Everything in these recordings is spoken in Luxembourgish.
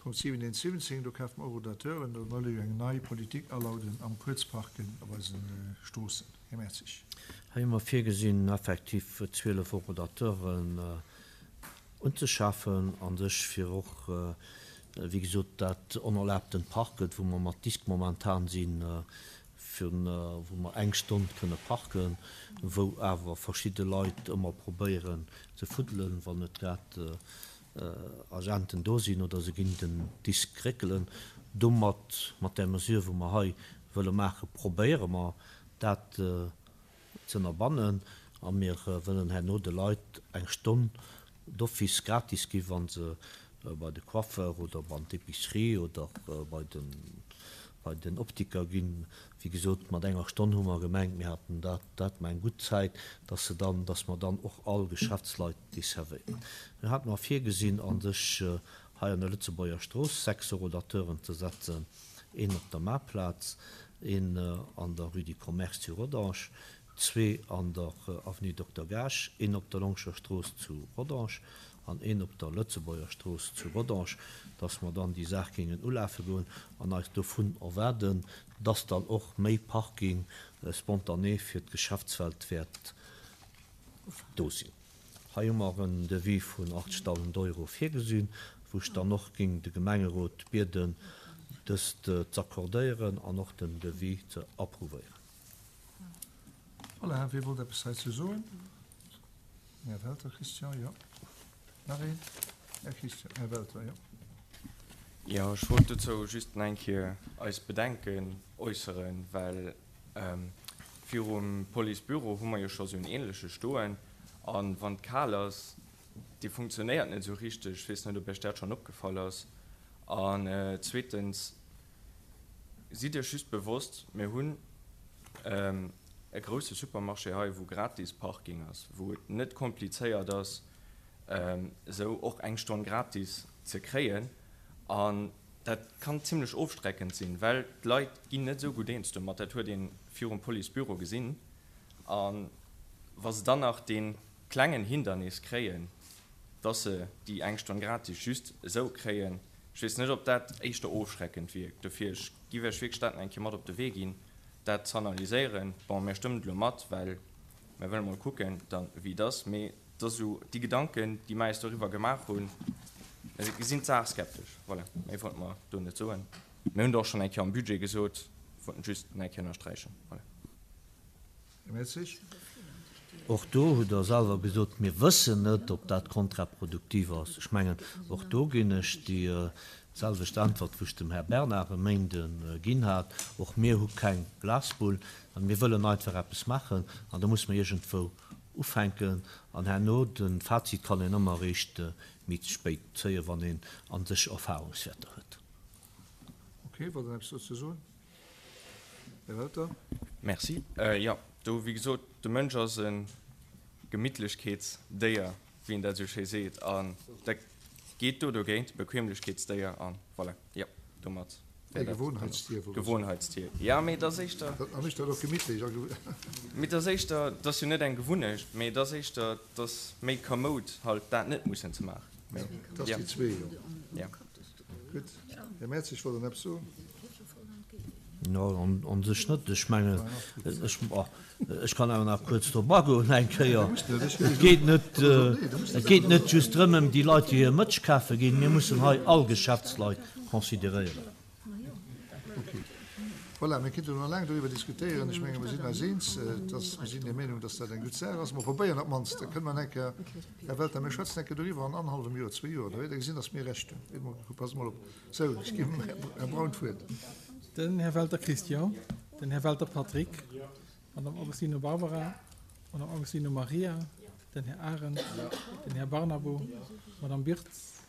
Punkt 7.1.17, do kafe mer Horodateuren, do wëlle jo eng nei Politik alauden am Kuerzparken op eise Stroossen. Här Mertzig. Hei hu mer virgesinn, effektiv 12 Horodateuren unzeschafen, a sech fir och, wéi gesot, dat onerlaabtent Parken, wou mer mat Disk momentan sinn, fir wou mer eng Stonn kënne parken, wou awer verschidde Leit ëmmer probéieren ze fuddelen, wann net grad Agenten do sinn oder se ginn den Disk réckelen. Domat, mat där Mesure wou mer hei wëlle maachen, probéiere mer dat ze ënnerbannen a mir wëllen herno de Leit eng Stonn d'office gratis gi wa se bei de Coiffeur oder an d'Epicerie oder bei den bei den Optiker ginn. Wéi gesot, mat enger Stonn hu mer gemengt, mir haten dat dat mer eng gutt Zäit, dass se dann, dass mer dann och all Geschäftsleit desservéieren. Mir hate mer virgesinn, a sech hei an der Lëtzebuerger Strooss 6 Horodateuren ze setzen, een op der Maarplaz, een an der Rue du Commerce zu Rodange, zwee an der Avenue Dokter Gaasch, een op der Longscher Strooss zu Rodange an een op der Lëtzebuerger Strooss zu Rodange, dass mer dann déi Saach géingen ulafe goen an eis dovun erwaarden, dass dann och méi Parking spontané fir d'Geschäftswelt wäert do sinn. Hei hu mer en Devis vun 80.000 Euro virgesinn, wou ech dann och géing de Gemengerot bieden, dëst z'accordéieren an och den Devis ze approuvéieren. Voilà, wie wollt eppes heizou soen? Här Welter Christian, jo. Nach een? Här Christian, Här Welter, jo. Jo, ech wollt dozou just nach eng Kéier eis Bedenken äusseren, well virum Policebüro hu mer jo scho sou en ähnleche stoen a wann et kal ass, dee funktionéiert net esou richteg. Ech weess net, ob Iech dat schonn opgefall ass. An zweetens, Sidd Iech just bewosst, mir hunn e grousse Supermarché hei, wou gratis Parking ass, wou et net komplizéiert ass, esou och eng Stonn gratis ze kréien. An dat kann zimlech ofstreckend sinn, well d'Leit ginn net esou gutt eens domat. Dat huet ee virum Policebüro gesinn. A wa se dann nach dee klengen Hindernis kréien, dass se déi eng Stonn gratis just esou kréien, Ech weess net, ob dat éischter ofschreckend wierkt. Dofir, ech giff Iech wierklech dat nach eng Kéier mat op de Wee ginn, dat z'analyséieren. Bon, mir stëmmen et elo mat, well mir wëlle mol kucken dann, wéi et ass. Mee et ass esou, déi Gedanken, déi mer eis doriwwer gemaach hunn, mir gesinn d'Saach skeptesch. Voilà, méi wollte mer do net soen. Mir hunn et och schonn eng Kéier am Budget gesot, wollten et just nach eng Kéier ënnersträichen. Voilà. Och do hutt Der selwer gesot, mir wëssen net, ob dat kontraproduktiv ass. Ech mengen, och do ginn ech déi selwecht Äntwert, wou ech dem Här Bernard e Méinde ginn hat. Och mir hu keng Glasbull. Mä mir wëllen einfach eppes maachen an da muss mer iergendwou ufänken. An herno, de Fazit kann een ëmmer eréischt méi spéit zéien, wann een a sech Erfahrungswäerter huet. Okay, wollt Der eppes dozou soen? Här Welter. Merci. Jo, do, wéi gesot, de Mënsch ass e Gemittlechkeetsdéier, wéi een dat esou schéi seet, an dat geet do dogéint, Bequemlechkeetsdéier, a voilà, jo, domat wär dat. Gewohnheitstier, wollt ech soen. Gewohnheitstier, jo, mee et ass éischter. Dat mécht dat och gemittlech a. Mee et ass éischter, et ass jo net eng Gewunnecht, mee et ass éischter, et ass méi kamoud halt dat net mussen ze maachen. Et ass déi zwee, jo. Gutt. Här Mertzig wollt dann eppes soen. Jo, an sech net. Ech mengen, ech, ech kann awer nach kuerz drop agoen eng Kéier. Et geet net, et geet net just drëm ëm déi Leit, déi hir Mëtsch kafe ginn. Mir mussen hei all Geschäftsleit consideréieren. Okay. Voilà, mir kéinten elo nach laang doriwwer diskutéieren. Ech menge mir sinn eis eens, dass, mir sinn der Meenung, dass dat eng gutt Saach ass. Mer probéieren op d'mannst, da kënne mer eng Kéier, Här Welter, mir schwätzen eng Kéier doriwwer an annerhallwem Joer, zwee Joer, da wäert Der gesinn, dass mir Recht hunn. Passt mol op. Sou, ech ginn dem Här Braun d'Wuert. Den Här Welter Christian, den Här Welter Patrick, d'Madame Agostino Barbara, d'Madame Agostino Maria, den Här Arendt, den Här Barnabo, d'Madame Birtz,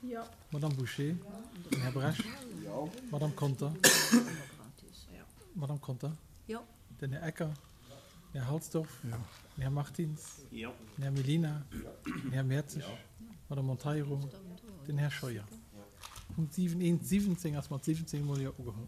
d'Madame Bouché, den Här Brecht, d'Madame Conter, d'Madame Conter, den Här Ecker, den Här Halsdorf, den Här Martins, den Här Mellina, den Här Mertzig, d'Madame Monteiro, den Här Scheuer. Punkt 7, 1, 17 ass mat 17 mol Jo ugeholl.